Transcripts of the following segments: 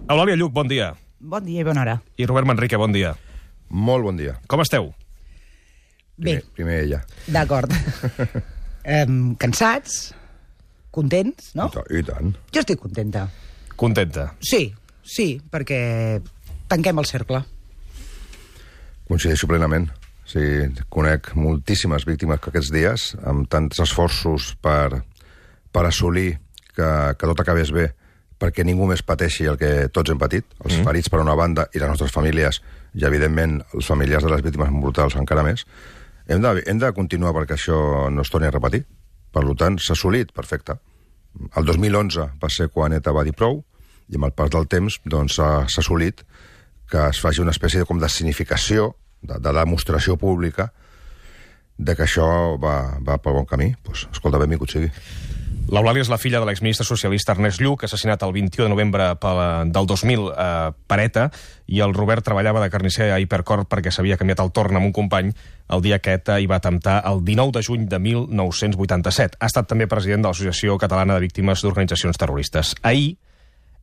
Eulàlia Lluch, bon dia. Bon dia i bona hora. I Robert Manrique, bon dia. Molt bon dia. Com esteu? Bé. Primer ella. D'acord. Cansats, contents, no? I tant. Jo estic contenta. Contenta. Sí, perquè tanquem el cercle. Coincideixo plenament. Sí, conec moltíssimes víctimes que aquests dies, amb tants esforços per assolir que tot acabés bé, perquè ningú més pateixi el que tots hem patit, els ferits per una banda i les nostres famílies, i evidentment els familiars de les víctimes mortals encara més, hem de continuar perquè això no es torni a repetir. Per tant, s'ha assolit, perfecte. El 2011 va ser quan ETA va dir prou, i amb el pas del temps doncs, s'ha assolit que es faci una espècie de significació, de demostració pública, de que això va pel bon camí. Doncs, escolta, benvingut sigui. L'Eulàlia és la filla de l'exministre socialista Ernest Lluch, assassinat el 21 de novembre del 2000 per ETA, i el Robert treballava de carnisser a Hipercor perquè s'havia canviat el torn amb un company el dia que ETA hi va atemptar el 19 de juny de 1987. Ha estat també president de l'Associació Catalana de Víctimes d'Organitzacions Terroristes. Ahir,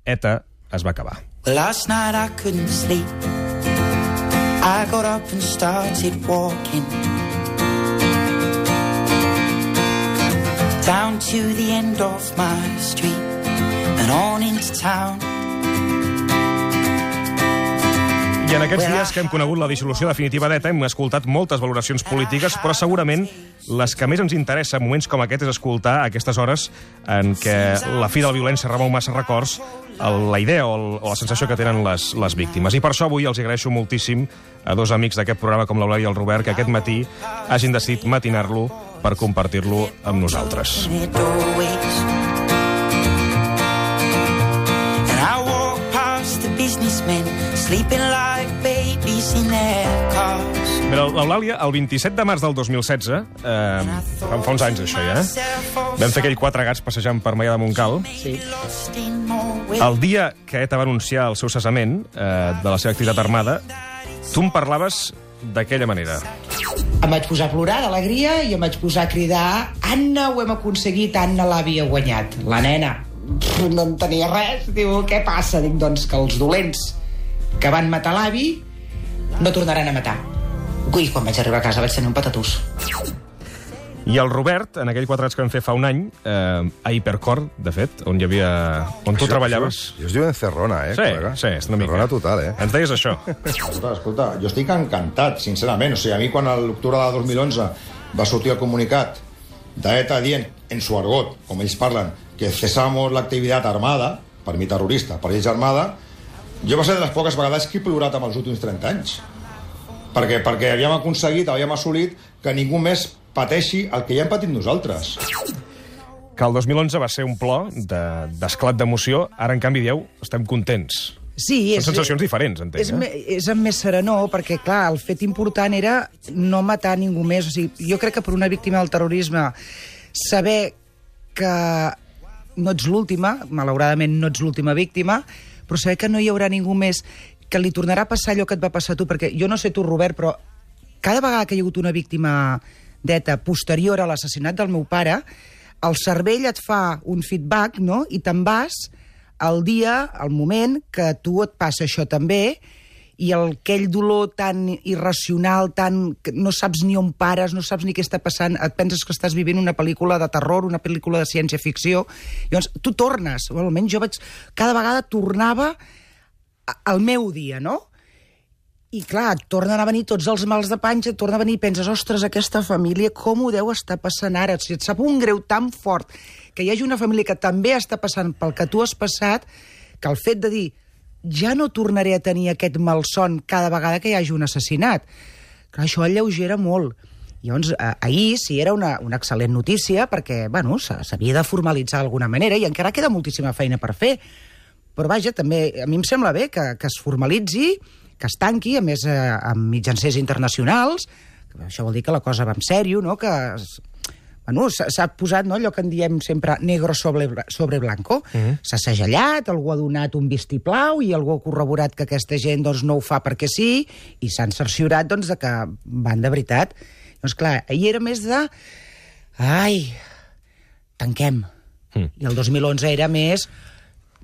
ETA es va acabar. Last night I couldn't sleep. I got up and started walking down to the end of my street and on into town. I en aquests dies que hem conegut la dissolució definitiva d'ETA hem escoltat moltes valoracions polítiques, però segurament les que més ens interessa en moments com aquest és escoltar a aquestes hores en què la fi de la violència remou massa records, la idea o la sensació que tenen les víctimes. I per això avui els agraeixo moltíssim a dos amics d'aquest programa com l'Eulàlia i el Robert que aquest matí hagin decidit matinar-lo per compartir-lo amb nosaltres. Però l'Eulàlia, el 27 de març del 2016, fa uns anys això ja, vam fer aquell 4 gats passejant per Maià de Montcal. Sí. El dia que ETA va anunciar el seu cessament de la seva activitat armada, tu em parlaves d'aquella manera. Em vaig posar a plorar d'alegria i em vaig posar a cridar: Anna, ho hem aconseguit, Anna l'havia guanyat. La nena no en tenia res, diu, què passa? Dic, doncs que els dolents que van matar l'avi no tornaran a matar. I quan vaig arribar a casa vaig tenir un patatús. I el Robert, en aquell 4 anys que vam fer fa un any, a Hipercor, de fet, on tu treballaves. Jo es diu Encerrona, col·lega? Sí, és una mica. Encerrona total, Ens deies això. Escolta, jo estic encantat, sincerament. O sigui, a mi quan a l'octubre de 2011 va sortir el comunicat d'ETA dient, en su argot, com ells parlen, que cesamos l'activitat armada, per mi terrorista, per ells armada, jo va ser de les poques vegades que he plorat amb els últims 30 anys. Perquè havíem aconseguit, havíem assolit que ningú més pateixi el que ja hem patit nosaltres. Que el 2011 va ser un plor d'esclat d'emoció, ara, en canvi, dieu, estem contents. Sí, són sensacions diferents, entenc. És amb més serenor, perquè, clar, el fet important era no matar ningú més. O sigui, jo crec que per una víctima del terrorisme saber que no ets l'última, malauradament no ets l'última víctima, però saber que no hi haurà ningú més, que li tornarà a passar allò que et va passar a tu, perquè jo no sé tu, Robert, però cada vegada que hi ha hagut una víctima d'ETA posterior a l'assassinat del meu pare, el cervell et fa un feedback, no?, i te'n vas al dia, al moment que a tu et passa això també, i aquell dolor tan irracional, que no saps ni on pares, no saps ni què està passant, et penses que estàs vivint una pel·lícula de terror, una pel·lícula de ciència-ficció. Llavors, tu tornes, o almenys jo cada vegada tornava al meu dia, no? I clar, et tornen a venir tots els mals de panxa, et torna a venir i penses, ostres, aquesta família, com ho deu estar passant ara? O sigui, et sap un greu tan fort que hi hagi una família que també està passant pel que tu has passat, que el fet de dir, ja no tornaré a tenir aquest malson cada vegada que hi hagi un assassinat. Clar, això alleugera molt. Llavors, ahir sí era una excel·lent notícia, perquè, bueno, s'havia de formalitzar d'alguna manera, i encara queda moltíssima feina per fer. Però vaja, també a mi em sembla bé que es formalitzi, que es tanqui, a més amb mitjancers internacionals, això vol dir que la cosa va en sèrio, no?, que s'ha posat, no, allò que en diem sempre negro sobre blanco. S'ha segellat, algú ha donat un vistiplau i algú ha corroborat que aquesta gent doncs, no ho fa perquè sí, i s'han cerciorat doncs, de que van de veritat. Doncs clar, ahir era més de... Ai, tanquem. I el 2011 era més...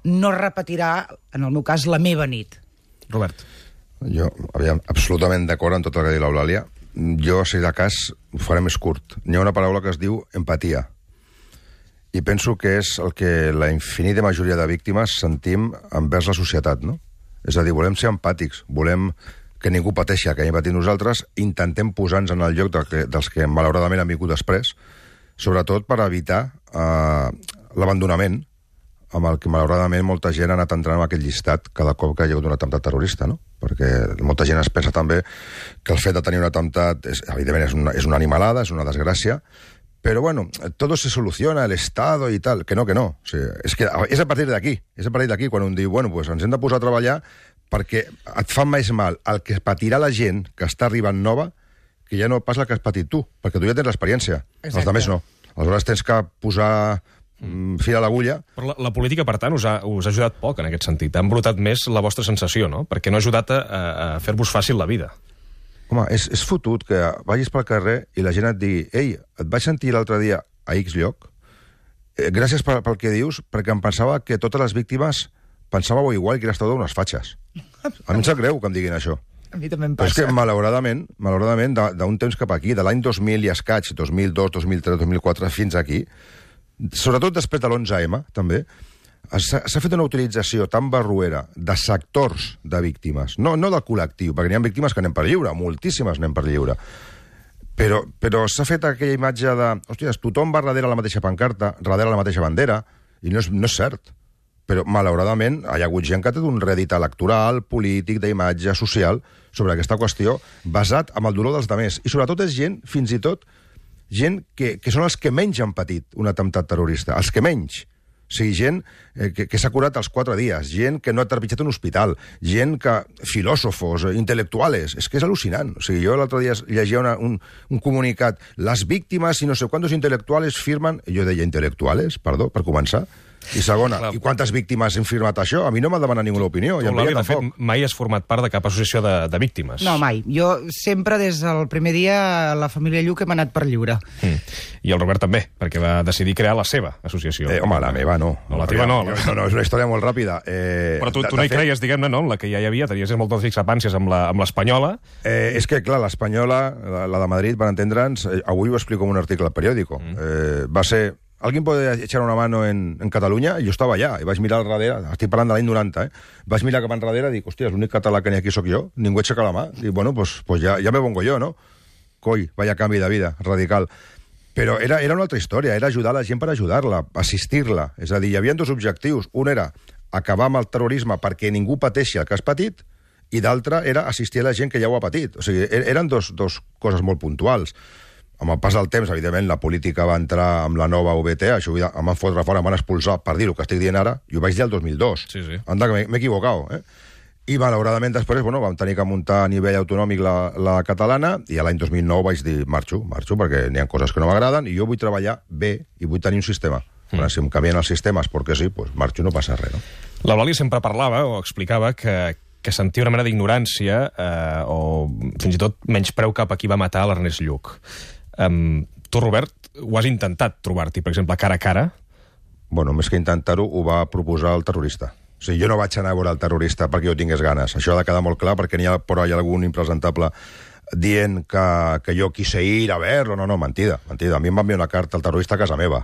no repetirà, en el meu cas, la meva nit. Robert. Jo, aviam, absolutament d'acord amb tot el que ha dit l'Eulàlia. Jo, si de cas, ho faré més curt. Hi ha una paraula que es diu empatia. I penso que és el que la infinita majoria de víctimes sentim envers la societat, no? És a dir, volem ser empàtics, volem que ningú pateixi el que hem patit nosaltres, intentem posar-nos en el lloc dels que malauradament han vingut després, sobretot per evitar l'abandonament amb el que malauradament molta gent ha anat entrant en aquell llistat cada cop que hi ha hagut un atemptat terrorista, no? Perquè molta gent es pensa també que el fet de tenir un atemptat, evidentment, és una animalada, és una desgràcia, pero bueno, todo se soluciona, el Estado y tal. Que no. O sigui, és a partir d'aquí, quan un diu, bueno, pues ens hem de posar a treballar perquè et fa més mal el que patirà la gent que està arribant nova que ja no pas la que has patit tu, perquè tu ja tens l'experiència. Els altres no. Aleshores tens que posar fil a l'agulla. Però la política, per tant, us ha ajudat poc en aquest sentit. Ha embrutat més la vostra sensació, no? Perquè no ha ajudat a fer-vos fàcil la vida. Home, és fotut que vagis pel carrer i la gent et digui «Ei, et vaig sentir l'altre dia a X lloc, gràcies pel que dius, perquè em pensava que totes les víctimes pensàveu igual que eres totes unes fatxes». A mi em sap greu que em diguin això. A mi també em Però és passa. que, malauradament, d'un temps cap aquí, de l'any 2000 i escaig, 2002, 2003, 2004, fins aquí, sobretot després de l'11M, també, s'ha fet una utilització tan barruera de sectors de víctimes, no del col·lectiu, perquè n'hi ha víctimes que anem per lliure, moltíssimes anem per lliure, però s'ha fet aquella imatge de, hòsties, tothom va darrere la mateixa pancarta, darrere la mateixa bandera, i no és cert. Però, malauradament, hi ha hagut gent que ha tingut un rèdit electoral, polític, d'imatge, social, sobre aquesta qüestió, basat en el dolor dels altres. I sobretot és gent, fins i tot, gent que són els que menys han patit un atemptat terrorista, els que menys. O sigui, gent que s'ha curat als 4 dies, gent que no ha trepitjat un hospital, gent que... filòsofos, intel·lectuals... És que és al·lucinant. O sigui, jo l'altre dia llegia un comunicat, les víctimes i no sé quantos intel·lectuals firmen... Jo deia intel·lectuals, perdó, per començar. I segona, i quantes víctimes han firmat això? A mi no m'ha demanat ninguna opinió. Tu, Eulàlia, de fet, mai has format part de cap associació de víctimes. No, mai. Jo sempre, des del primer dia, la família Lluc hem anat per lliure. I el Robert també, perquè va decidir crear la seva associació. Home, la meva no. No, la teva no. No, és una història molt ràpida. Però tu no hi creies, diguem-ne, no? La que ja hi havia, tenies moltes discrepàncies amb l'Espanyola. És que, clar, l'Espanyola, la de Madrid, per entendre'ns, avui ho explico en un article al periòdico. Va ser... ¿Alguien puede echar una mano en Catalunya? I jo estava allà, i vaig mirar al darrere, estic parlant de l'any 90, vaig mirar cap enrere i dic, hòstia, l'únic català que n'hi ha aquí sóc jo, ningú aixeca la mà. Dic, bueno, pues ja me pongo yo, no? Coi, vaya canvi de vida, radical. Però era una altra història, era ajudar la gent per ajudar-la, assistir-la. És a dir, hi havia 2 objectius. Un era acabar amb el terrorisme perquè ningú pateixi el que has patit, i d'altre era assistir a la gent que ja ho ha patit. O sigui, eren dos coses molt puntuals. Amb el pas del temps, evidentment, la política va entrar amb la nova UBT, això em van fotre fora, em van expulsar per dir el que estic dient ara, i ho vaig dir el 2002. Sí. Anda, que m'he equivocat, I, malauradament, després, vam tenir que muntar a nivell autonòmic la catalana, i l'any 2009 vaig dir, marxo, perquè n'hi ha coses que no m'agraden, i jo vull treballar bé, i vull tenir un sistema. Si em canvien els sistemes perquè sí, doncs marxo, no passa res, no? L'Eulàlia sempre parlava, o explicava, que sentia una mena d'ignorància, o fins i tot menyspreu cap a qui va matar l'Ernest Lluch. Tu, Robert, ho has intentat trobar-t'hi, per exemple, cara a cara? Bueno, més que intentar-ho, ho va proposar el terrorista. O sigui, jo no vaig anar a veure el terrorista perquè jo tingués ganes. Això ha de quedar molt clar, perquè n'hi ha por ahí algun impresentable dient que jo quise ir a verlo. No, mentida. A mi em va enviar una carta al terrorista a casa meva.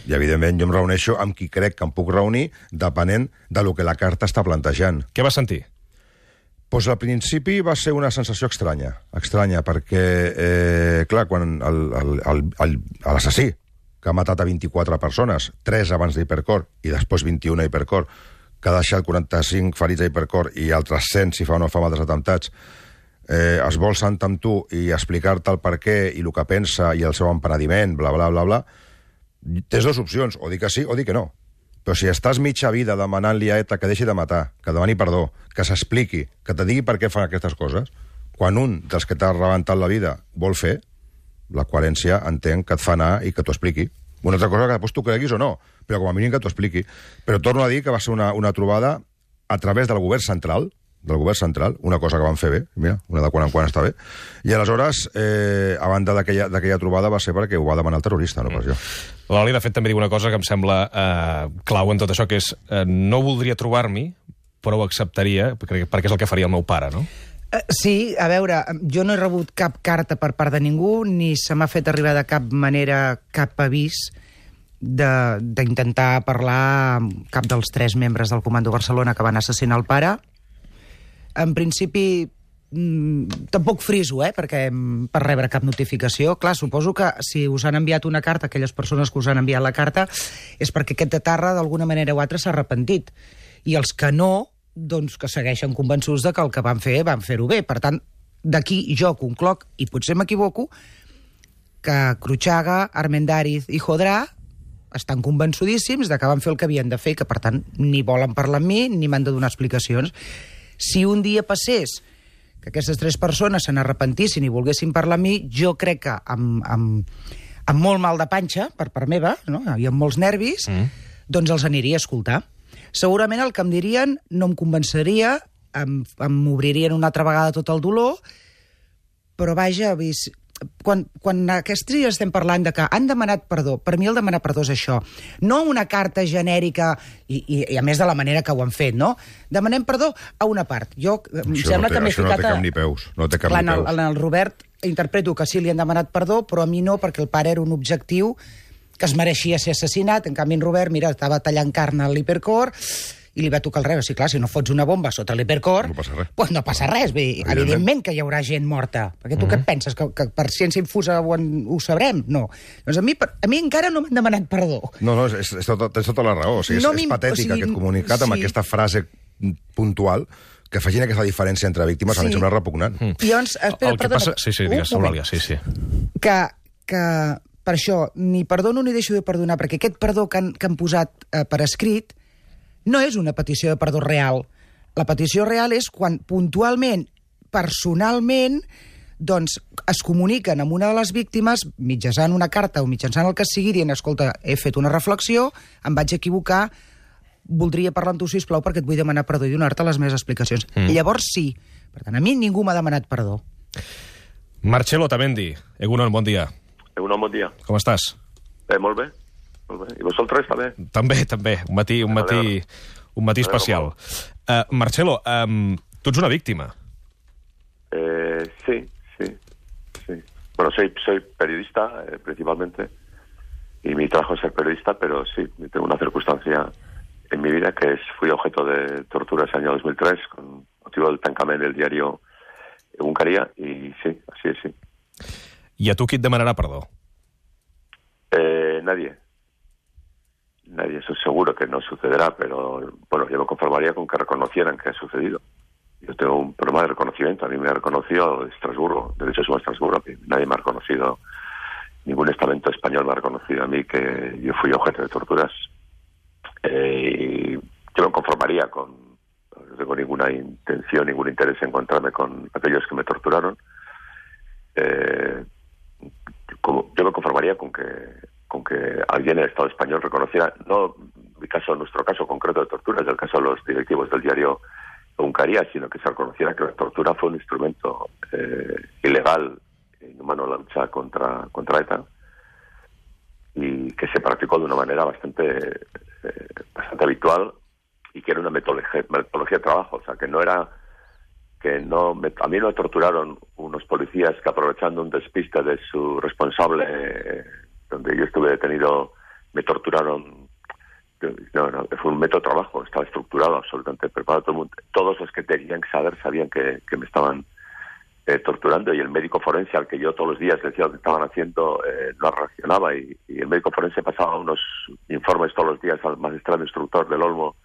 I, evidentment, jo em reuneixo amb qui crec que em puc reunir, depenent de lo que la carta està plantejant. Què vas sentir? Pues al principi va ser una sensació estranya, perquè, clar, quan l'assassí, que ha matat a 24 persones, 3 abans d'Hipercor i després 21 a Hipercor, que ha deixat 45 ferits a Hipercor i altres 100 si fa o no fa altres atemptats, es vol sentar amb tu i explicar-te el per què i el que pensa i el seu empenediment, bla, bla, bla, bla, tens 2 opcions, o dir que sí o dir que no. Però si estàs mitja vida demanant-li a ETA que deixi de matar, que demani perdó, que s'expliqui, que te digui per què fan aquestes coses, quan un dels que t'ha rebentat la vida vol fer, la coherència entenc que et fa anar i que t'ho expliqui. Una altra cosa que després tu creguis o no, però com a mínim que t'ho expliqui. Però torno a dir que va ser una trobada a través del govern central, una cosa que van fer bé, mira, una de quan en quan està bé, i aleshores, a banda d'aquella trobada va ser perquè ho va demanar el terrorista, no pas jo. L'Oli, de fet, també diu una cosa que em sembla clau en tot això, que és no voldria trobar-m'hi, però ho acceptaria, perquè és el que faria el meu pare, no? Sí, a veure, jo no he rebut cap carta per part de ningú, ni se m'ha fet arribar de cap manera cap avís d'intentar parlar amb cap dels 3 membres del Comando Barcelona que van assassinar el pare. En principi, tampoc friso, perquè per rebre cap notificació. Clar, suposo que si us han enviat una carta, aquelles persones que us han enviat la carta, és perquè aquest etarra d'alguna manera o altra s'ha arrepentit. I els que no, doncs que segueixen convençuts de que el que van fer-ho bé. Per tant, d'aquí jo concloc, i potser m'equivoco, que Cruchaga, Armendáriz i Jodrà estan convençudíssims de que van fer el que havien de fer i que, per tant, ni volen parlar amb mi ni m'han de donar explicacions. Si un dia passés que aquestes 3 persones se n'arrepentissin i volguessin parlar amb mi, jo crec que amb molt mal de panxa, per part meva, no? I amb molts nervis, doncs els aniria a escoltar. Segurament el que em dirien no em convenceria, em obririen una altra vegada tot el dolor, però vaja, quan aquests dies estem parlant de que han demanat perdó, per mi el demanar perdó és això, no una carta genèrica, i a més de la manera que ho han fet, no? Demanem perdó a una part. Jo em sembla que m'he ficat... Això no té cap ni peus. No té cap ni peus. En el Robert interpreto que sí li han demanat perdó, però a mi no, perquè el pare era un objectiu que es mereixia ser assassinat. En canvi, en Robert, mira, estava tallant carn a l'Hipercor i li va tocar el revés. Sí, clar, si no fots una bomba sota l'Hipercor, no passa res. Pues no passa res. Evidentment que hi haurà gent morta. Perquè tu què et penses? Que per ciència infusa ho sabrem? No. Doncs a mi encara no m'han demanat perdó. No, tens tota la raó. O sigui, és patètic aquest comunicat amb aquesta frase puntual que facin aquesta diferència entre víctimes, a mi em sembla repugnant. I llavors, espera, perdona. Sí, digues, Eulàlia, sí. Que per això ni perdono ni deixo de perdonar, perquè aquest perdó que han posat per escrit no és una petició de perdó real. La petició real és quan puntualment, personalment, doncs es comuniquen amb una de les víctimes mitjançant una carta o mitjançant el que sigui, dient, escolta, he fet una reflexió, em vaig equivocar, voldria parlar amb tu, sisplau, perquè et vull demanar perdó i donar-te les meves explicacions. Llavors sí. Per tant, a mi ningú m'ha demanat perdó. Marcelo Otamendi, Egunon, bon dia. Egunon, bon dia. Com estàs? Molt bé. I vosaltres també? També. Un matí especial. Marcelo, tu ets una víctima. Sí. Bueno, soy periodista, principalmente, y mi trabajo es ser periodista, pero sí, tengo una circunstancia en mi vida que fui objeto de torturas en el año 2003 con motivo del tancament del diario Egunkaria, y sí, así es, sí. I a tu qui et demanarà perdó? Nadie, eso seguro que no sucederá, pero bueno, yo me conformaría con que reconocieran que ha sucedido. Yo tengo un problema de reconocimiento. A mí me ha reconocido Estrasburgo, Derechos Humanos Estrasburgo, nadie me ha reconocido, ningún estamento español me ha reconocido a mí que yo fui objeto de torturas. Y yo me conformaría no tengo ninguna intención, ningún interés en encontrarme con aquellos que me torturaron. Yo me conformaría con que alguien en el Estado español reconociera, no nuestro caso concreto de tortura, es el caso de los directivos del diario Egunkaria, sino que se reconociera que la tortura fue un instrumento ilegal e inhumano en la lucha contra ETA, y que se practicó de una manera bastante habitual, y que era una metodología de trabajo. O sea, que no era... a mí no me torturaron unos policías que, aprovechando un despiste de su responsable, donde yo estuve detenido, me torturaron. No, fue un método de trabajo, estaba estructurado, absolutamente preparado. Todo el mundo, todos los que tenían que saber sabían que me estaban torturando, y el médico forense al que yo todos los días le decía lo que estaban haciendo no reaccionaba, y el médico forense pasaba unos informes todos los días al magistrado instructor del Olmo,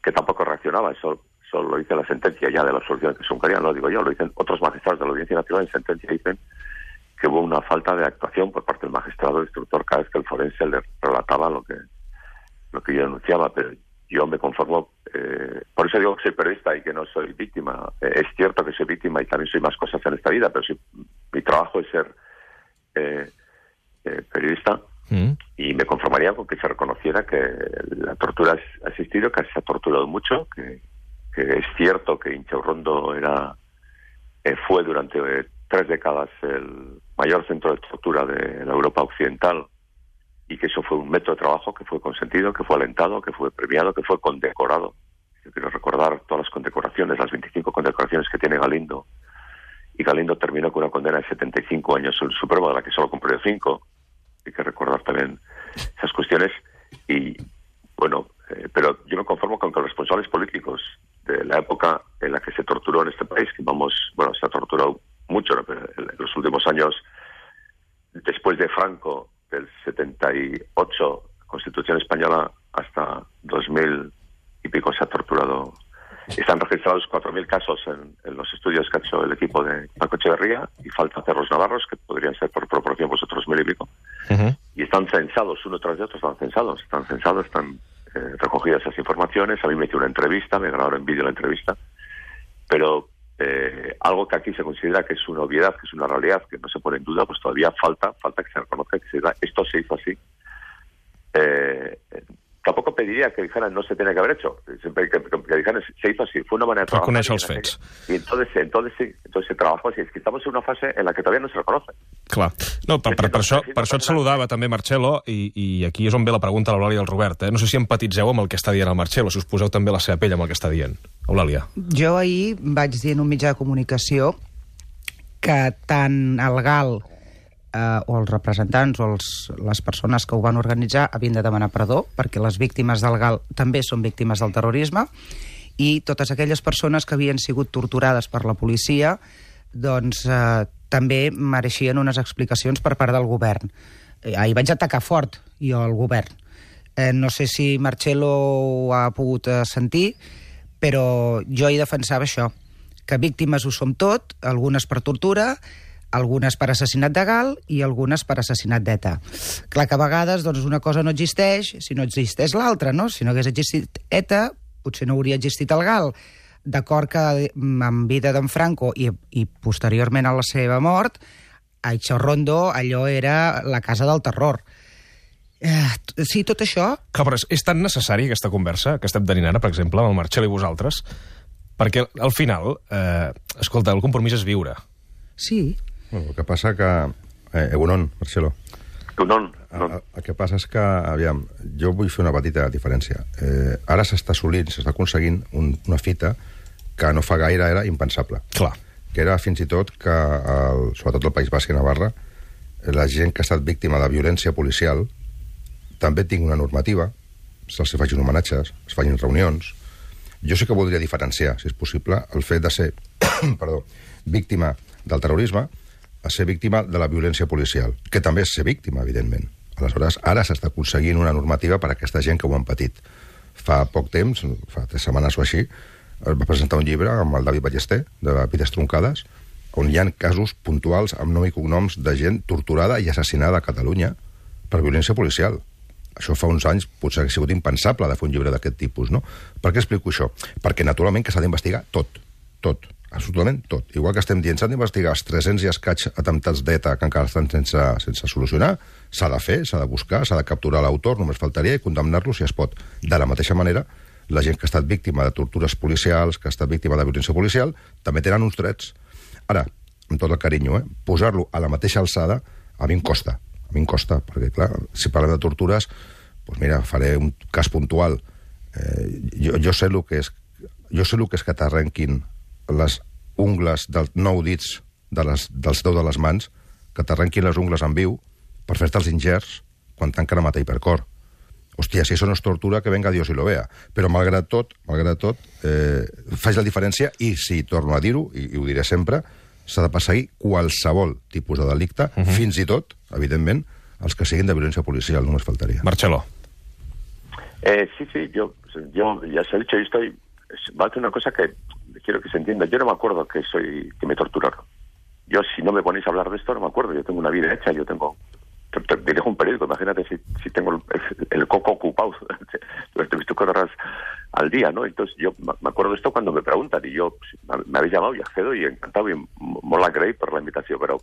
que tampoco reaccionaba. Eso lo dice la sentencia ya de la absolución de Egunkaria, no lo digo yo, lo dicen otros magistrados de la Audiencia Nacional. En sentencia dicen que hubo una falta de actuación por parte del magistrado instructor cada vez que el forense le relataba lo que yo denunciaba. Pero yo me conformo, por eso digo que soy periodista y que no soy víctima. Es cierto que soy víctima y también soy más cosas en esta vida, pero mi trabajo es ser periodista, y me conformaría con que se reconociera que la tortura ha existido, que se ha torturado mucho, que es cierto que Inchaurrondo fue durante 3 décadas el mayor centro de tortura de la Europa occidental, y que eso fue un método de trabajo que fue consentido, que fue alentado, que fue premiado, que fue condecorado. Yo quiero recordar todas las condecoraciones, las 25 condecoraciones que tiene Galindo, y Galindo terminó con una condena de 75 años en el Supremo, de la que solo cumplió 5. Hay que recordar también esas cuestiones. Y bueno, pero yo me conformo con que los responsables políticos de la época en la que se torturó en este país, que se ha torturado mucho, ¿no? Pero en los últimos años, después de Franco, del 78, Constitución Española, hasta 2000 y pico se ha torturado. Están registrados 4.000 casos en los estudios que ha hecho el equipo de Paco Echeverría, y falta hacer los navarros, que podrían ser por proporción pues otros 1.000 y pico. Y están censados, uno tras de otro están recogidas esas informaciones. A mí me hizo una entrevista, me grabaron en vídeo la entrevista, pero algo que aquí se considera que es una obviedad, que es una realidad, que no se pone en duda, pues todavía falta que se reconozca, que se diga, esto se hizo así. Tampoco pediría que dijeran no se tenía que haber hecho, siempre que dijeran se hizo así, fue una manera de trabajar. Reconèixer els fets. Y entonces se trabajó así. Es que estamos en una fase en la que todavía no se reconoce. Clar. No, per això et saludava també, Marcelo, i aquí és on ve la pregunta a l'Eulàlia i al Robert. No sé si empatitzeu amb el que està dient el Marcelo, si us poseu també la seva pell amb el que està dient. Eulàlia. Jo ahir vaig dir en un mitjà de comunicació que tant el GAL o els representants o les persones que ho van organitzar havien de demanar perdó, perquè les víctimes del GAL també són víctimes del terrorisme, i totes aquelles persones que havien sigut torturades per la policia doncs també mereixien unes explicacions per part del govern. Ahir vaig atacar fort, jo, al govern. No sé si Marcelo ho ha pogut sentir, però jo hi defensava això, que víctimes ho som tot, algunes per tortura, algunes per assassinat de GAL i algunes per assassinat d'ETA. Clar que a vegades doncs, una cosa no existeix si no existeix l'altra, no? Si no hagués existit ETA, potser no hauria existit el GAL. D'acord que en vida d'en Franco i posteriorment a la seva mort, a Ichorrondo allò era la casa del terror. Sí, tot això... Clar, però és tan necessari aquesta conversa que estem tenint ara, per exemple, amb el Marcelo i vosaltres, perquè al final, escolta, el compromís és viure. Sí. Bueno, el que passa que... Egunon, Marcelo. Egunon. El que passa és que, aviam, jo vull fer una petita diferència. Ara s'està aconseguint una fita que no fa gaire era impensable. Clar. Que era fins i tot que, sobretot al País Basc i Navarra, la gent que ha estat víctima de violència policial també tingui una normativa, se'ls facin homenatges, es facin reunions. Jo sí que voldria diferenciar, si és possible, el fet de ser víctima del terrorisme a ser víctima de la violència policial, que també és ser víctima, evidentment. Aleshores, ara s'està aconseguint una normativa per a aquesta gent que ho han patit. Fa poc temps, fa 3 setmanes o així, va presentar un llibre amb el David Ballester, de Vides Truncades, on hi ha casos puntuals amb nom i cognoms de gent torturada i assassinada a Catalunya per violència policial. Això fa uns anys potser ha sigut impensable de fer un llibre d'aquest tipus, no? Per què explico això? Perquè, naturalment, que s'ha d'investigar tot. Absolutament tot. Igual que estem dient, s'han d'investigar els 300 i escaig atemptats d'ETA que encara estan sense solucionar, s'ha de fer, s'ha de buscar, s'ha de capturar l'autor, només faltaria, i condemnar-lo si es pot. De la mateixa manera, la gent que ha estat víctima de tortures policials, que ha estat víctima de violència policial, també tenen uns drets. Ara, amb tot el carinyo, posar-lo a la mateixa alçada, a mi em costa, perquè, clar, si parlem de tortures, doncs mira, faré un cas puntual. Jo sé el que és que t'arrenquin les ungles dels 9 dits dels 10 de les mans, que t'arrenquin les ungles en viu per fer-te els ingerts quan tanquen a matar hipercor. Hòstia, si això no és tortura, que venga Dios y lo vea. Però, malgrat tot, faig la diferència i, si torno a dir-ho, i ho diré sempre, s'ha de perseguir qualsevol tipus de delicte, fins i tot, evidentment, els que siguin de violència policial, només faltaria. Marcelo. Sí, yo ya se ha dicho, va a hacer una cosa que quiero que se entienda. Yo no me acuerdo que me torturaron. Yo, si no me ponéis a hablar de esto, no me acuerdo. Yo tengo una vida hecha, te dirijo un periódico. Imagínate si tengo el coco ocupado durante 24 horas al día, ¿no? Entonces yo me acuerdo de esto cuando me preguntan, y yo, me habéis llamado y accedo y encantado, y mola creéis por la invitación, pero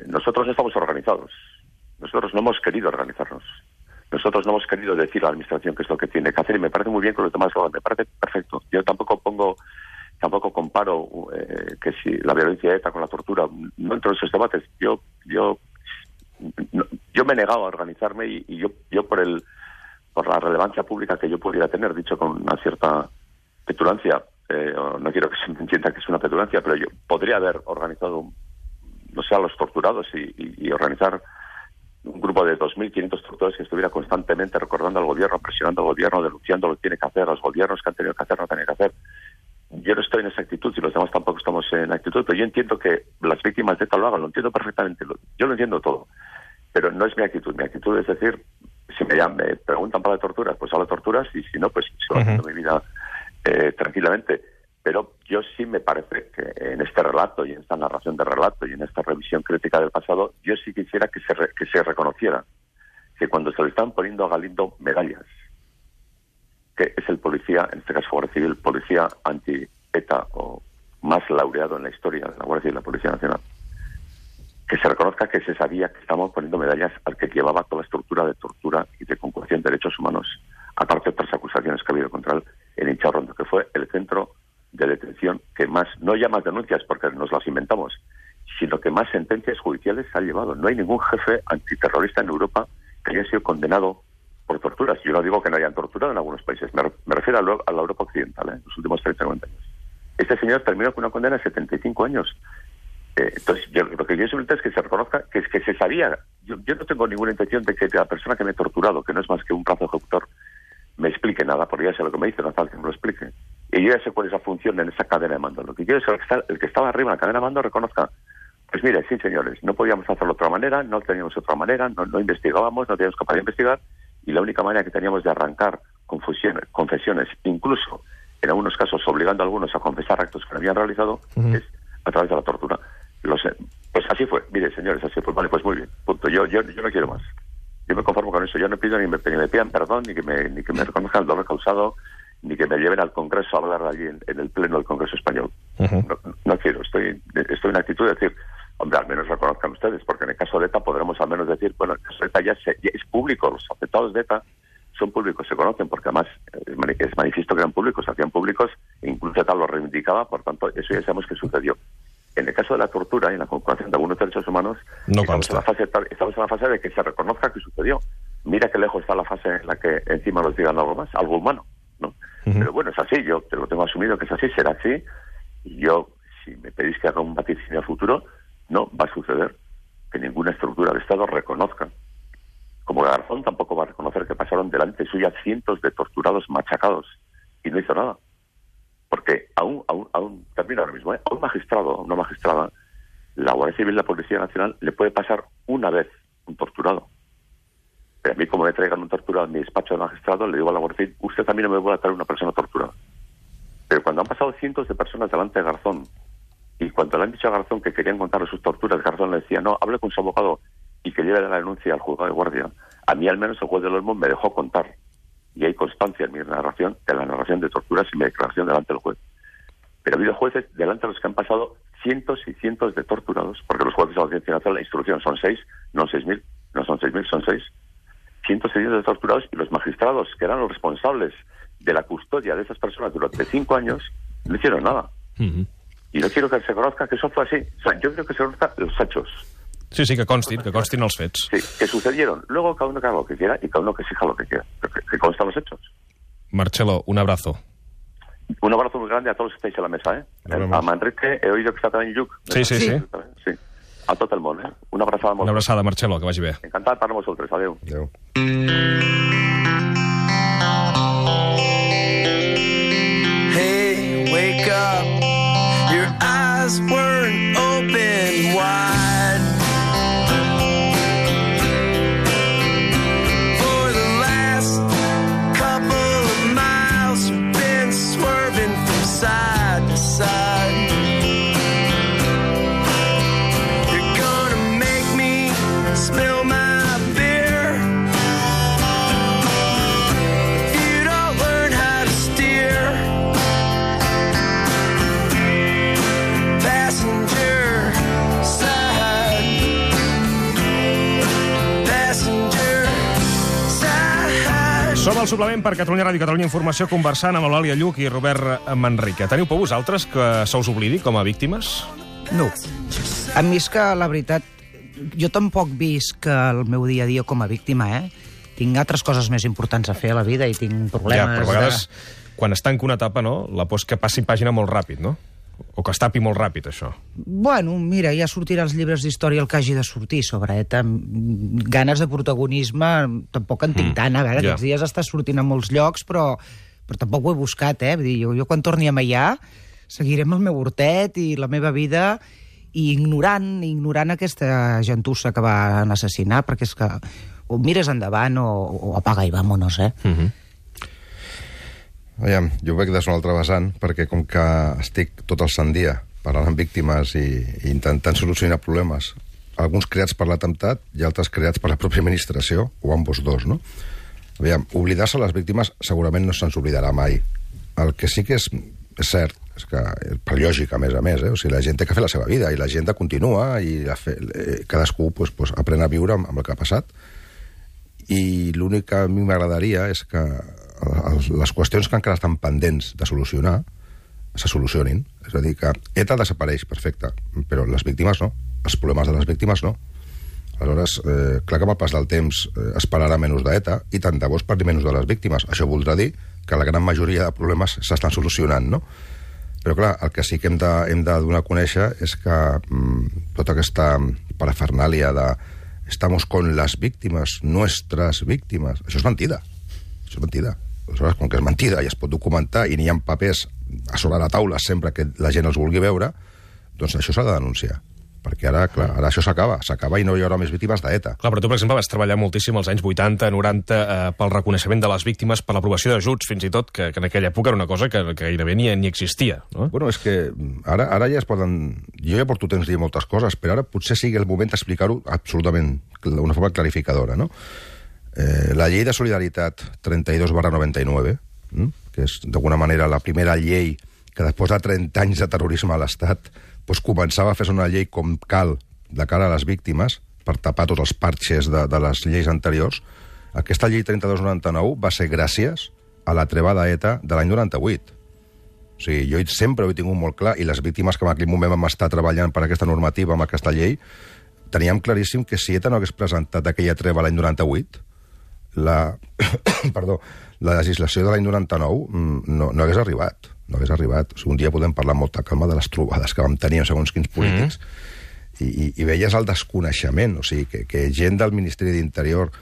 nosotros no estamos organizados. Nosotros no hemos querido organizarnos. Nosotros no hemos querido decir a la administración qué es lo que tiene que hacer, y me parece muy bien con lo que Tomás Gabán, me parece perfecto. Yo tampoco comparo que si la violencia de ETA con la tortura, no entro en esos debates. Yo Yo me he negado a organizarme y yo por la relevancia pública que yo pudiera tener, dicho con una cierta petulancia, no quiero que se me entienda que es una petulancia, pero yo podría haber organizado, no sé, a los torturados y organizar un grupo de 2.500 torturadores que estuviera constantemente recordando al gobierno, presionando al gobierno, denunciando lo que tiene que hacer, a los gobiernos que han tenido que hacer, no tenían que hacer. Yo no estoy en esa actitud y los demás tampoco estamos en actitud, pero yo entiendo que las víctimas de ETA lo hagan, lo entiendo perfectamente, yo lo entiendo todo, pero no es mi actitud. Mi actitud es decir, si me preguntan para la tortura, pues hablo de torturas, y si no, pues sigo haciendo mi vida tranquilamente. Pero yo sí me parece que en este relato y en esta narración de relato y en esta revisión crítica del pasado, yo sí quisiera que se reconociera que cuando se le están poniendo a Galindo medallas, que es el policía, en este caso Guardia Civil, policía anti-ETA o más laureado en la historia de la Guardia Civil y la Policía Nacional, que se reconozca que se sabía que estamos poniendo medallas al que llevaba toda la estructura de tortura y de conculcación de derechos humanos, aparte de otras acusaciones que ha habido contra él en Incharrondo, que fue el centro de detención que más, no ya más denuncias porque nos las inventamos, sino que más sentencias judiciales ha llevado. No hay ningún jefe antiterrorista en Europa que haya sido condenado por torturas. Yo no digo que no hayan torturado en algunos países, me refiero a la Europa occidental, los últimos 30-40 años. Este señor terminó con una condena de 75 años. Entonces, lo que yo siempre es que se reconozca que es que se sabía. Yo no tengo ninguna intención de que la persona que me ha torturado, que no es más que un brazo ejecutor, me explique nada, porque ya sé lo que me dice, no falta que me lo explique. Y yo ya sé cuál es la función en esa cadena de mando. Lo que quiero es que el que estaba arriba en la cadena de mando reconozca, pues mire, sí señores, no podíamos hacerlo de otra manera, no teníamos otra manera, no investigábamos, no teníamos capacidad de investigar, y la única manera que teníamos de arrancar confesiones, incluso en algunos casos obligando a algunos a confesar actos que no habían realizado, es a través de la tortura. Pues así fue, mire señores, así fue. Vale, pues muy bien, punto. Yo no quiero más. Yo me conformo con eso. Yo no pido ni me pidan perdón, ni que me reconozcan el dolor causado, ni que me lleven al Congreso a hablar allí en el Pleno del Congreso Español. No quiero. Estoy en actitud de decir, hombre, al menos reconozcan ustedes, porque en el caso de ETA podremos al menos decir, bueno, el caso de ETA ya es público, los afectados de ETA son públicos, se conocen, porque además es manifiesto que eran públicos, se hacían públicos, e incluso ETA lo reivindicaba, por tanto, eso ya sabemos que sucedió. En el caso de la tortura y en la conculcación de algunos derechos humanos, no estamos en la fase de que se reconozca que sucedió. Mira qué lejos está la fase en la que encima nos digan algo más, algo humano, ¿no? Pero bueno, es así, yo te lo tengo asumido que es así, será así, y yo, si me pedís que haga un vaticinio futuro, no va a suceder que ninguna estructura de Estado reconozca. Como Garzón tampoco va a reconocer que pasaron delante suya cientos de torturados machacados y no hizo nada. Porque aún termino ahora mismo, a un magistrado, a una magistrada, la Guardia Civil y la Policía Nacional le puede pasar una vez un torturado. Pero a mí, como me traigan un torturado en mi despacho de magistrado, le digo a la Guardia Civil, usted también no me puede traer una persona torturada. Pero cuando han pasado cientos de personas delante de Garzón, y cuando le han dicho a Garzón que querían contarle sus torturas, Garzón le decía, no, hable con su abogado y que lleve la denuncia al juzgado de guardia. A mí al menos el juez del Olmo me dejó contar. Y hay constancia en mi narración, de la narración de torturas y mi declaración delante del juez. Pero ha habido jueces delante de los que han pasado cientos y cientos de torturados, porque los jueces de la Audiencia Nacional, la instrucción son 6, no 6.000, no son 6.000, son 6. Cientos y cientos de torturados, y los magistrados, que eran los responsables de la custodia de esas personas durante 5 años, no hicieron nada. Y no quiero que se conozca que eso fue así. O sea, yo creo que se conozcan los hechos. Sí, que constin els fets. Sí, que sucedieron. Luego cada uno que haga lo que quiera y cada uno que exija lo que quiera. Que constan los hechos. Marcelo, un abrazo. Un abrazo muy grande a todos los que estáis en la mesa, A Manrique, he oído que está también Lluc. Sí. A tot el món, Una abraçada molt. Una abraçada, Marcelo, que vagi bé. Encantat per vosaltres. Adéu. Adéu. Hey, wake up. Your eyes weren't open wide. For the last couple of miles, you've been swerving from side to side. You're gonna make me spill my beer. If you don't learn how to steer. Passenger side. Passenger side. Som al suplement per Catalunya Ràdio i Catalunya Informació conversant amb Eulàlia Lluc i Robert Manrique. Teniu por vosaltres que se us oblidi com a víctimes? No. A mi és que, la veritat, jo tampoc visc el meu dia a dia com a víctima, Tinc altres coses més importants a fer a la vida i tinc problemes... Però a vegades, quan es tanca una etapa, no? La por és que passi pàgina molt ràpid, no? O que es tapi molt ràpid, això. Bueno, mira, ja sortirà els llibres d'història el que hagi de sortir sobre ETA. Ganes de protagonisme tampoc en tinc tant. A veure, aquests dies està sortint a molts llocs, però tampoc ho he buscat, Vull dir, jo quan torni a Meià seguiré amb el meu hortet i la meva vida i ignorant aquesta gentussa que van assassinar, perquè és que o mires endavant o apaga i vámonos, Aviam, jo ho veig des d'una altra vessant, perquè com que estic tot el sant dia parlant amb víctimes i intentant solucionar problemes, alguns creats per l'atemptat i altres creats per la pròpia administració, o ambos dos, no? Aviam, oblidar-se les víctimes segurament no se'ns oblidarà mai. El que sí que és cert, és que per lògica, a més, o sigui, la gent té que fer la seva vida i la gent continua i cadascú pues, aprèn a viure amb el que ha passat. I l'únic que a mi m'agradaria és que les qüestions que encara estan pendents de solucionar se solucionin. És a dir, que ETA desapareix, perfecte, però les víctimes no. Els problemes de les víctimes no. Aleshores, clar que amb el pas del temps es parlarà menys d'ETA i tant de bo es parli menys de les víctimes. Això voldrà dir que la gran majoria de problemes s'estan solucionant, no? Però clar, el que sí que hem de donar a conèixer és que tota aquesta parafernàlia de estamos con las víctimas, nuestras víctimes, això és mentida. Això és mentida. Aleshores, com que és mentida i es pot documentar i n'hi ha papers a sobre la taula sempre que la gent els vulgui veure, doncs això s'ha de denunciar. Perquè ara, clar, ara això s'acaba i no hi haurà més víctimes d'ETA. Clar, però tu, per exemple, vas treballar moltíssim als anys 80, 90, pel reconeixement de les víctimes, per l'aprovació d'ajuts, fins i tot, que en aquella època era una cosa que gairebé ni existia, no? Bueno, és que ara ja es poden... Jo ja porto temps dir moltes coses, però ara potser sigui el moment d'explicar-ho absolutament d'una forma clarificadora, no? La llei de solidaritat 32/99, que és d'alguna manera la primera llei que després de 30 anys de terrorisme a l'Estat doncs començava a fer una llei com cal de cara a les víctimes per tapar tots els parxes de les lleis anteriors. Aquesta llei 32/99 va ser gràcies a la treva d'ETA de l'any 98. O sigui, jo sempre ho he tingut molt clar i les víctimes que en aquell moment vam estar treballant per aquesta normativa, amb aquesta llei, teníem claríssim que si ETA no hagués presentat aquella treva l'any 98, la legislació de l'any 99 no hagués arribat. No hagués arribat. O sigui, un dia podem parlar amb molta calma de les trobades que vam tenir amb segons quins polítics i veies el desconeixement, o sigui, que gent del Ministeri d'Interior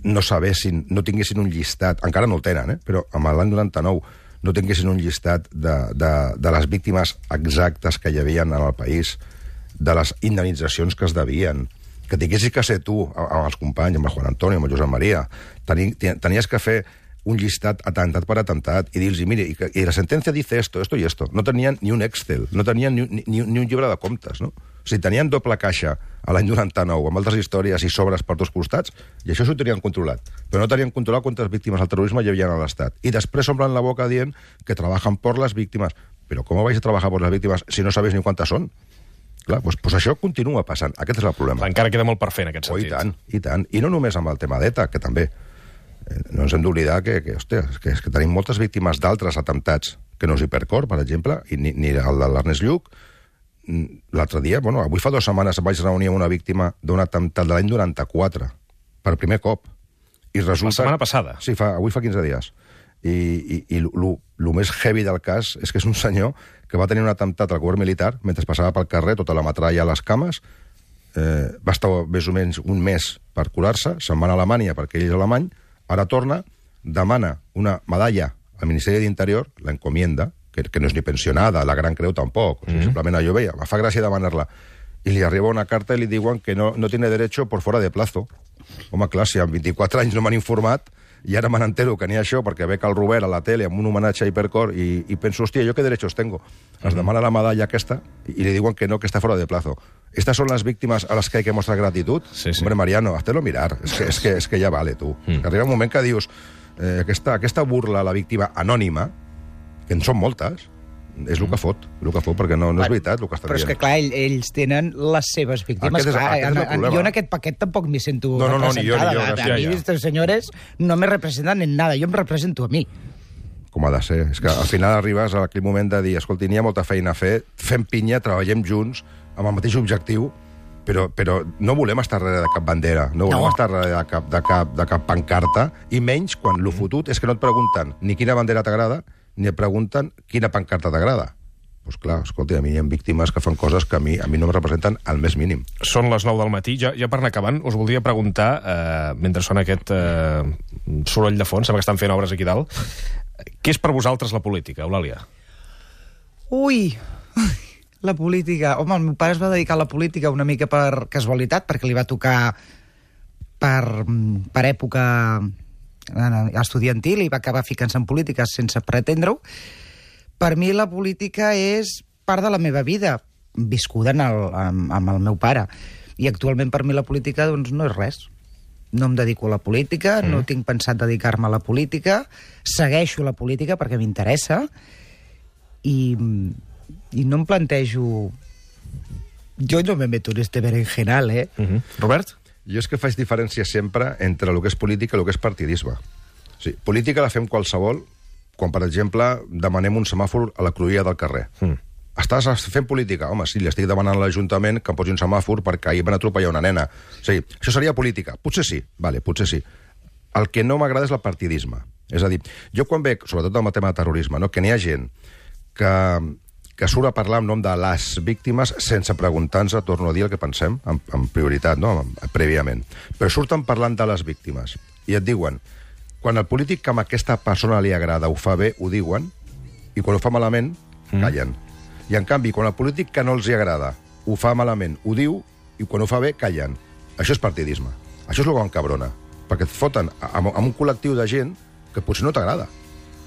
no sabessin, no tinguessin un llistat, encara no el tenen, però amb l'any 99 no tinguessin un llistat de les víctimes exactes que hi havia en el país, de les indemnitzacions que es devien, que tinguessis que ser tu, amb els companys, amb el Juan Antonio, amb el Josep Maria, tenies que fer un llistat atemptat per atemptat i dir-los, mire, y la sentencia dice esto y esto. No tenien ni un Excel, no tenien ni un llibre de comptes, no? O sigui, tenien doble caixa a l'any 99 amb altres històries i sobres per dos costats i això s'ho tenien controlat. Però no tenien controlat quantes víctimes del terrorisme hi havia a l'Estat. I després s'omplen la boca dient que trabajan por las víctimas. Però com vais a trabajar por las víctimes si no sabeu ni quantes són? Clar, doncs això continua passant. Aquest és el problema. Encara queda molt per fer en aquest sentit. I tant. I no només amb el tema d'ETA, que també. No ens hem d'oblidar que tenim moltes víctimes d'altres atemptats, que no és Hipercor, per exemple, i ni el de l'Ernest Lluch. L'altre dia, avui fa 2 setmanes em vaig reunir amb una víctima d'un atemptat de l'any 94, per primer cop. I resulta... La setmana passada? Sí, avui fa 15 dies. I el més heavy del cas és que és un senyor que va tenir un atemptat al govern militar mentre passava pel carrer, tota la metralla a les cames, va estar més o menys un mes per curar-se, se'n va a Alemanya perquè ell és alemany, ara torna, demana una medalla al Ministeri d'Interior, l'encomienda, que no és ni pensionada, la Gran Creu tampoc, o sigui, simplement allò veia, me fa gràcia demanar-la, i li arriba una carta i li diuen que no tiene derecho por fuera de plazo. Home, clar, si en 24 anys no m'han informat, i ara me n'entero que n'hi ha això, perquè veig el Robert a la tele amb un homenatge a Hipercor i penso, hòstia, ¿yo qué derechos tengo? Es demana la medalla aquesta i li diuen que no, que està fora de plazo. ¿Estas son las víctimas a las que hay que mostrar gratitud? Sí. Hombre, Mariano, hazte-lo mirar. És que ja vale, tu. Arriba un moment que dius, aquesta burla a la víctima anònima, que en són moltes, és el que fot, perquè no és veritat el que estan dient. Però és que, clar, ells tenen les seves víctimes. Jo en aquest paquet tampoc m'hi sento representada. A mi, aquestes senyores, no me representan en nada. Jo em represento a mi. Com ha de ser. És que al final arribes a aquell moment de dir, escolti, n'hi ha molta feina a fer, fem pinya, treballem junts, amb el mateix objectiu, però no volem estar darrere de cap bandera, no volem estar darrere de cap pancarta, i menys quan lo fotut és que no et pregunten ni quina bandera t'agrada, ni et pregunten quina pancarta t'agrada. Doncs clar, escolta, a mi hi ha víctimes que fan coses que a mi no em representen al més mínim. Són les 9 del matí. Ja per anar acabant, us voldria preguntar, mentre sona aquest soroll de fons, sembla que estan fent obres aquí dalt, què és per vosaltres la política, Eulàlia? Ui, la política. Home, el meu pare es va dedicar a la política una mica per casualitat, perquè li va tocar per època estudiantil i va acabar ficant-se en política sense pretendre-ho. Per mi la política és part de la meva vida, viscuda amb el meu pare. I actualment per mi la política doncs, no és res. No em dedico a la política, no tinc pensat dedicar-me a la política, segueixo la política perquè m'interessa i no em plantejo... Jo no me meto en este berenjenal, eh? Robert? Jo és que faig diferència sempre entre el que és política i el que és partidisme. O sigui, política la fem qualsevol quan, per exemple, demanem un semàfor a la cruïlla del carrer. Estàs fent política? Home, sí, li estic demanant a l'Ajuntament que em posi un semàfor perquè ahir van atropellar una nena. O sigui, això seria política? Potser sí, vale, potser sí. El que no m'agrada és el partidisme. És a dir, jo quan veig, sobretot amb el tema de terrorisme, no, que n'hi ha gent que surt a parlar en nom de les víctimes sense preguntar-nos, torno a dir el que pensem, amb prioritat, no? Prèviament. Però surten parlant de les víctimes i et diuen, quan el polític que a aquesta persona li agrada ho fa bé, ho diuen, i quan ho fa malament, callen. I en canvi, quan el polític que no els hi agrada ho fa malament, ho diu, i quan ho fa bé, callen. Això és partidisme. Això és el que m'encabrona. Perquè et foten amb un col·lectiu de gent que potser no t'agrada.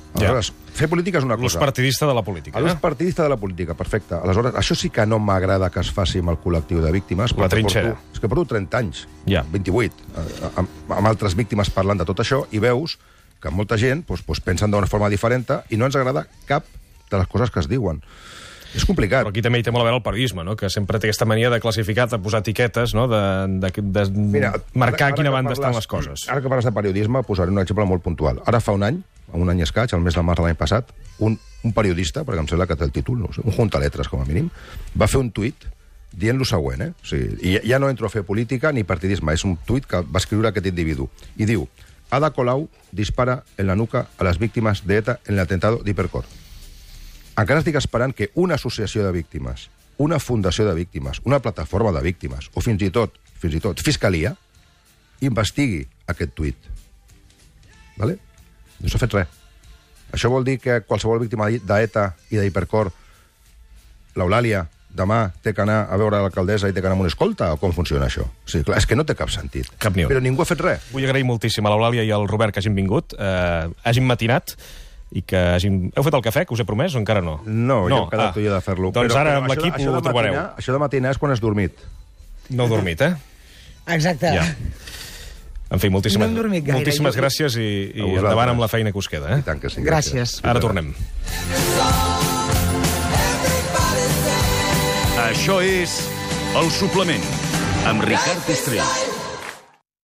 Aleshores, fer política és una cosa. L'ús partidista de la política. L'ús partidista de la política, perfecte. Aleshores, això sí que no m'agrada que es faci amb el col·lectiu de víctimes. La trinxera. És que porto 30 anys, 28, amb altres víctimes parlant de tot això, i veus que molta gent pensen d'una forma diferent i no ens agrada cap de les coses que es diuen. És complicat. Però aquí també hi té molt a veure el periodisme, no? Que sempre té aquesta mania de classificar, de posar etiquetes, no? de marcar quina banda estan les coses. Ara que parles de periodisme, posaré un exemple molt puntual. Ara fa un any escaig, el mes de març de l'any passat, un periodista, perquè em sembla que té el títol, no sé, un juntaletres com a mínim, va fer un tuit dient lo següent, O sigui, ja no entro a fer política ni partidisme, és un tuit que va escriure aquest individu. I diu, Ada Colau dispara en la nuca a les víctimes de ETA en el atentado d'Hipercor. Encara estic esperant que una associació de víctimes, una fundació de víctimes, una plataforma de víctimes, o fins i tot Fiscalia, investigui aquest tuit. Vale? No s'ha fet res. Això vol dir que qualsevol víctima d'ETA i d'Hipercor, l'Eulàlia, demà té que anar a veure l'alcaldessa i té que anar amb una escolta, o com funciona això? O sigui, clar, és que no té cap sentit. Cap ni un. Però ningú ha fet res. Vull agrair moltíssim a l'Eulàlia i al Robert que hagin vingut, hagin matinat, i que hagin... Heu fet el cafè, que us he promès, o encara no? No, ja hem quedat tu i jo de fer-lo. Doncs ara amb l'equip ho trobareu. Això de matinar és quan has dormit. No heu dormit, eh? Exacte. Ja. En fi, moltíssimes, No hem dormit gaire, moltíssimes gràcies i endavant amb la feina que us queda. I tant que sí. Gràcies. Ara tornem. Això és El Suplement, amb Ricard Estrell.